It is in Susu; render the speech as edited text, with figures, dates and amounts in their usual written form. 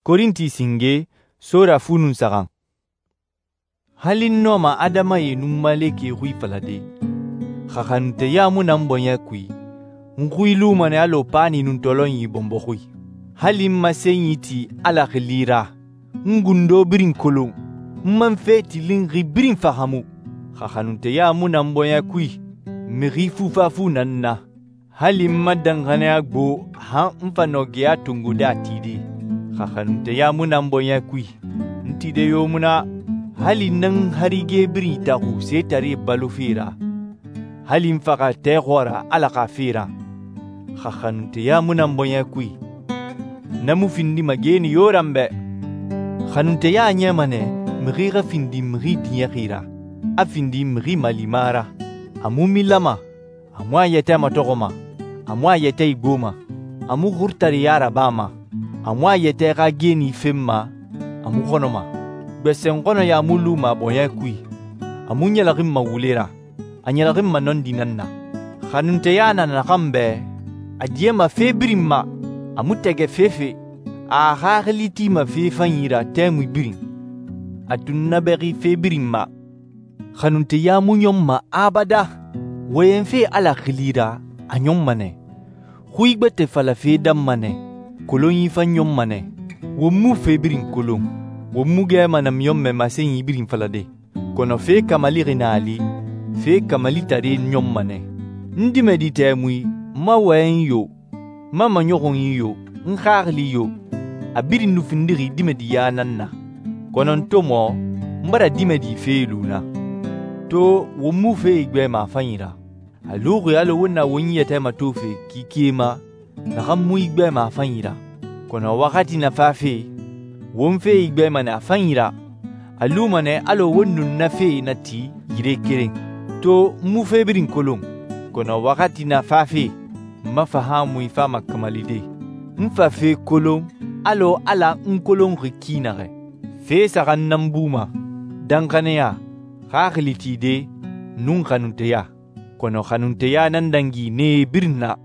Korinti singe, sora fu nun saxan. Hali n nɔma adamae nun malekɛe xui falade, xa xanunteya mu na n bɔɲɛ kui, n xui luma nɛ alɔ paani nun tɔlɔnyi bɔnbɔ xui. Hali n masenyi ti Ala xili ra, n gundo birin kolon, n man fe tilinxi birin fahaamu. Xa xanunteya mu na n bɔɲɛ kui, mixi fufafu na n na. Hali n ma danxaniya gbo han n fa nɔ geya tongode a tide. Xa xanunteya mu na n bɔɲɛ kui, n tide yo mu na. Hali n nan harige birin itaxu setaree balofe ra, hali n faxa tɛ xɔɔra Ala xa fe ra. Xa xanunteya mu na n bɔɲɛ kui, na mu findima geeni yo ra n bɛ. Xanunteya ɲɛma nɛ mixi xa findi mixi diɲɛxi ra, a findi mixi malima ra. A mu milama, a mu a yɛtɛ matɔxɔma, a mu a yɛtɛ igboma, a mu xurutareya rabama, a mu a yɛtɛ xa geeni fenma, a mu xɔnɔma. Gbɛsɛn xɔnɔya mu luma bɔɲɛ kui, a mu ɲɛlɛxinma wule ra, a ɲɛlɛxinma nɔndi nan na. Xanunteya na naxan bɛ, a diyama fe birin ma, a mu tɛgɛ fefe, a xaxili tima fe fanyi ra tɛmui birin, a tunnabɛxi fe birin ma. Xanunteya mu ɲɔnma abada. Wɔyɛnfe Ala xili ra, a ɲɔnma nɛ. Xui gbɛtɛ falafe danma nɛ, kolonyi fan ɲɔnma nɛ. Won mu fe birin kolon, won mu gɛma namiɲɔnmɛ masenyi birin falade. Kɔnɔ fe kamalixi na a li, fe kamalitare ɲɔnma nɛ. N dimɛdi tɛmui, n ma wɔyɛnyi yo, n ma maɲɔxunyi yo, n xaxili yo, a birin nu findixi dimɛdiya nan na. Kɔnɔ n to mɔ, n bara dimɛdi fe lu na. To won mu fe igbɛma a fanyi ra. A luxi alɔ won na won yɛtɛ matofe kikie ma, naxan mu igbɛma a fanyi ra. Kɔnɔ waxati na fafe, won fe igbɛma nɛ a fanyi ra. A luma nɛ alɔ won nun na fe nati yire keren. To n mu fe birin kolon, kɔnɔ waxati na fafe, n ma fahaamui fama kamalide. N fa fe kolon alɔ Ala n kolonxi ki naxɛ. Fe saxan nan buma, danxaniya, xaxili tide, nun xanunteya. Kɔnɔ xanunteya nan dangi nee birin na.